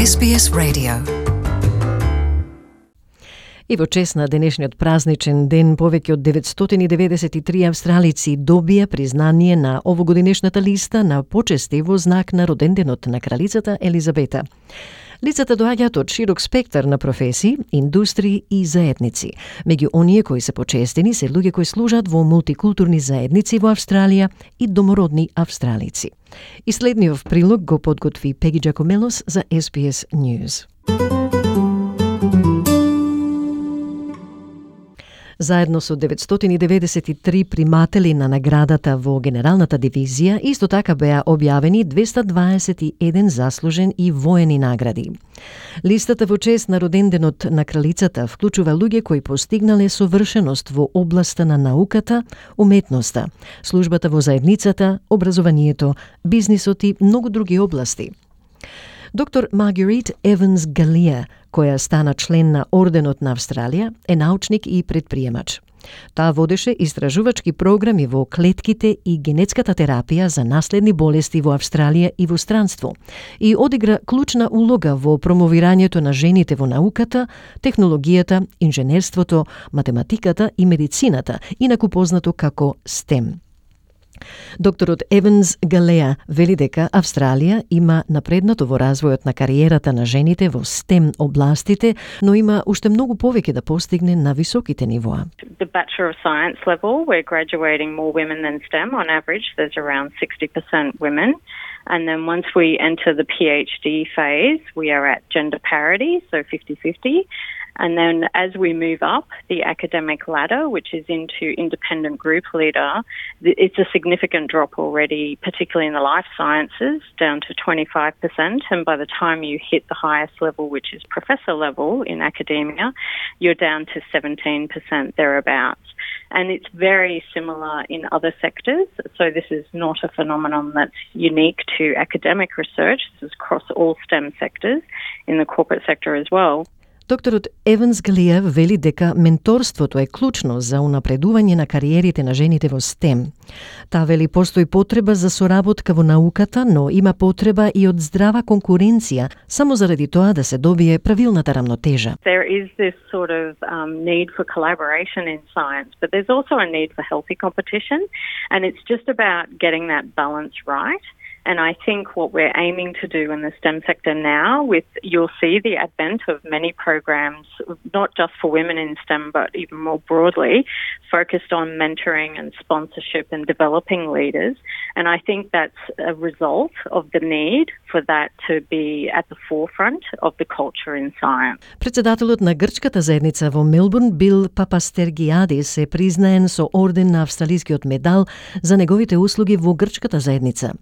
SBS Radio. И во чест на денешниот празничен ден, повеќе од 993 австралици добија признание на овогодинешната листа на почести во знак на роденденот на кралицата Елизабета. Лицата доаѓаат од широк спектар на професии, индустрии и заедници. Меѓу оние кои се почестени се луѓе кои служат во мултикултурни заедници во Австралија и домородни австралици. И следниот прилог го подготви Пеги Джакомелос за SBS News. Заедно со 993 приматели на наградата во Генералната дивизија, исто така беа објавени 221 заслужен и воени награди. Листата во чест на роденденот на кралицата вклучува луѓе кои постигнале совршеност во областа на науката, уметноста, службата во заедницата, образованието, бизнисот и многу други области. Доктор Маргарет Еванс Галија, која стана член на Орденот на Австралија, е научник и предприемач. Таа водеше истражувачки програми во клетките и генетската терапија за наследни болести во Австралија и во странство и одигра клучна улога во промовирањето на жените во науката, технологијата, инженерството, математиката и медицината, инаку познато како STEM. Докторот Еванс Галеа вели дека Австралија има напреднато во развојот на кариерата на жените во STEM областите, но има уште многу повеќе да постигне на високите нивоа. The Bachelor of Science level, we're graduating more women than STEM. On average, there's around 60% women. And then once we enter the PhD phase, we are at gender parity, so 50-50. And then as we move up the academic ladder, which is into independent group leader, it's a significant drop already, particularly in the life sciences, down to 25%. And by the time you hit the highest level, which is professor level in academia, you're down to 17% thereabouts. And it's very similar in other sectors. So this is not a phenomenon that's unique to academic research. This is across all STEM sectors in the corporate sector as well. Докторот Еванс Галија вели дека менторството е клучно за унапредување на кариерите на жените во STEM. Таа вели постои потреба за соработка во науката, но има потреба и од здрава конкуренција, само заради тоа да се добие правилната рамнотежа. There is this sort of need for collaboration in science, but there's also a need for healthy competition, and it's just about getting that balance right. And I think what we're aiming to do in the STEM sector now, you'll see the advent of many programs, not just for women in STEM, but even more broadly, focused on mentoring and sponsorship and developing leaders. And I think that's a result of the need for that to be at the forefront of the culture in science. Председателот на грчката заедница во Мелбурн, Бил Папастергиадис, е признаен со орден на австралискиот медал за неговите услуги во грчката заедница.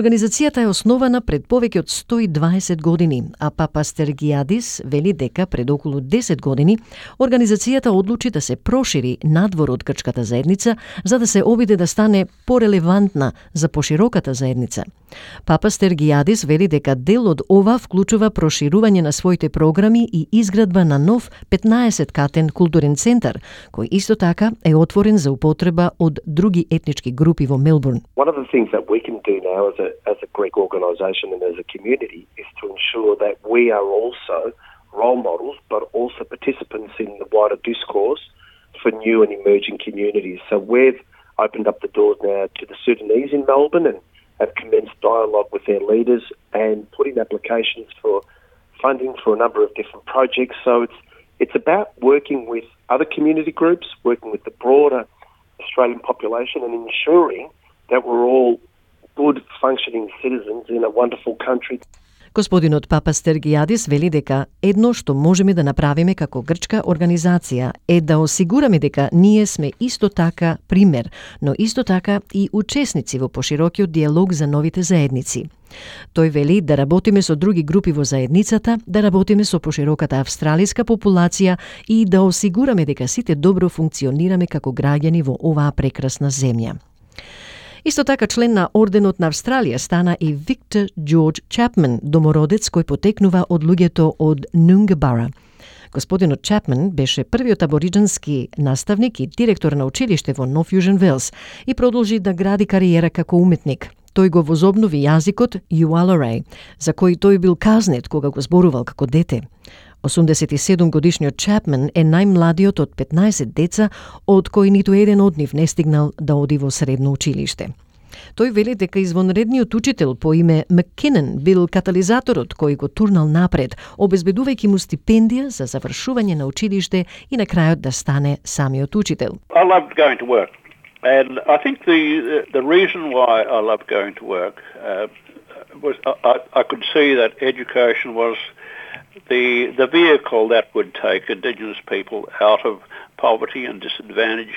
Организацијата е основана пред повеќе од 120 години, а Папастергиадис вели дека пред околу 10 години организацијата одлучи да се прошири надвор од грчката заедница за да се обиде да стане порелевантна за пошироката заедница. Папастергиадис вели дека дел од ова вклучува проширување на своите програми и изградба на нов 15-катен културен центар, кој исто така е отворен за употреба од други етнички групи во Мелбурн. One of the things that we can do now as a Greek organisation and as a community is to ensure that we are also role models but also participants in the wider discourse for new and emerging communities. So we've opened up the doors now to the Sudanese in Melbourne and have commenced dialogue with their leaders and put in applications for funding for a number of different projects. So it's about working with other community groups, working with the broader Australian population and ensuring that we're all good functioning citizens in a wonderful country. Господинот Папастергиадис вели дека едно што можеме да направиме како грчка организација е да осигураме дека ние сме исто така пример, но исто така и учесници во поширокиот диалог за новите заедници. Тој вели да работиме со други групи во заедницата, да работиме со пошироката австралиска популација и да осигураме дека сите добро функционираме како граѓани во оваа прекрасна земја. Исто така член на Орденот на Австралија стана и Виктор Джордж Чапман, домородец кој потекнува од луѓето од Нунгабара. Господинот Чапман беше првиот абориџански наставник и директор на училиште во Нов Јужен Велс и продолжи да гради кариера како уметник. Тој го возобнови јазикот Юалорей, за кој тој бил казнет кога го зборувал како дете. 87-годишниот Чапман е најмладиот од 15 деца, од кои ниту еден од нив не стигнал да оди во средно училиште. Тој вели дека извонредниот учител по име Маккинен бил катализаторот кој го турнал напред, обезбедувајќи му стипендија за завршување на училиште и на крајот да стане самиот учител. I loved going to work, and I think the reason why I loved going to work was I could see that education was the vehicle that would take Indigenous people out of poverty and disadvantage.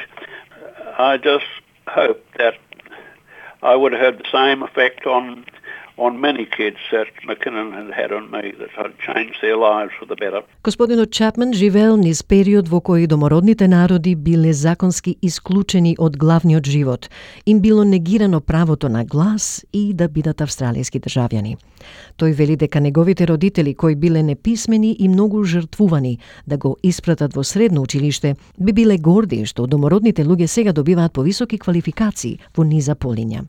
I just hope that I would have had the same effect on many kids that McKinnon had on me, that I'd changed their lives for the better. Господинот Чапман живеел низ период во кој домородните народи биле законски исклучени од главниот живот. Им било негирано правото на глас и да бидат австралијски државјани. Тој вели дека неговите родители, кои биле неписмени и многу жртвувани да го испратат во средно училиште, би биле горди што домородните луѓе сега добиваат повисоки квалификации во низа полиња.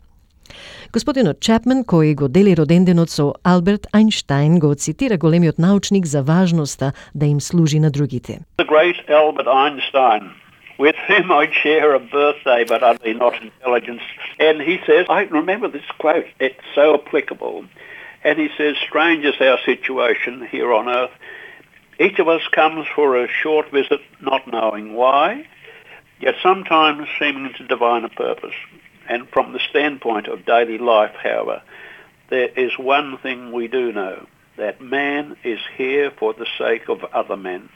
Господинот Чапман, кој го дели роденденот со Алберт Ајнштајн, го цитира големиот научник за важноста да им служи на другите. The great Albert Einstein, with whom I share a birthday but utterly not intelligence, and he says, I remember this quote, it's so applicable, and he says, strange is our situation here on earth. Each of us comes for a short visit not knowing why, yet sometimes seeming to divine a purpose. And from the standpoint of daily life, however, there is one thing we do know, that man is here for the sake of other men,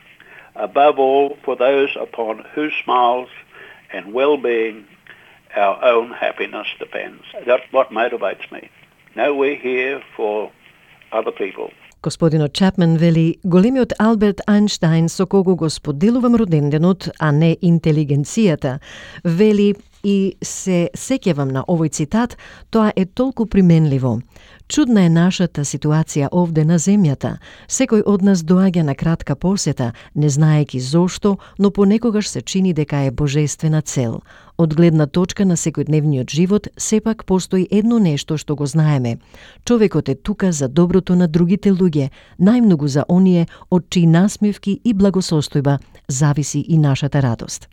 above all for those upon whose smiles and well-being our own happiness depends. That's what motivates me. No, we're here for other people. Господинот Чапман вели, големиот Алберт Ајнштајн со кого го споделувам роденденот, а не интелигенцијата, вели и се сеќавам на овој цитат, тоа е толку применливо. Чудна е нашата ситуација овде на земјата. Секој од нас доаѓа на кратка посета, не знаејќи зошто, но понекогаш се чини дека е божествена цел. Од гледна точка на секојдневниот живот, сепак постои едно нешто што го знаеме. Човекот е тука за доброто на другите луѓе, најмногу за оние од чии насмевки и благосостојба зависи и нашата радост.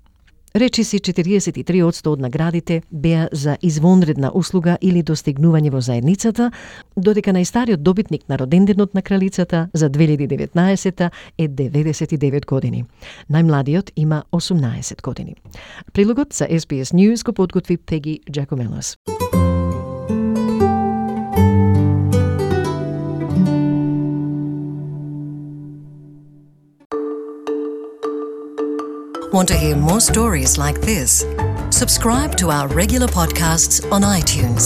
Речиси 43% од наградите беа за извонредна услуга или достигнување во заедницата, додека најстариот добитник на роденденот на кралицата за 2019 е 99 години. Најмладиот има 18 години. Прилогот за SBS News го подготви Пеги Джакомелос. Want to hear more stories like this? Subscribe to our regular podcasts on iTunes.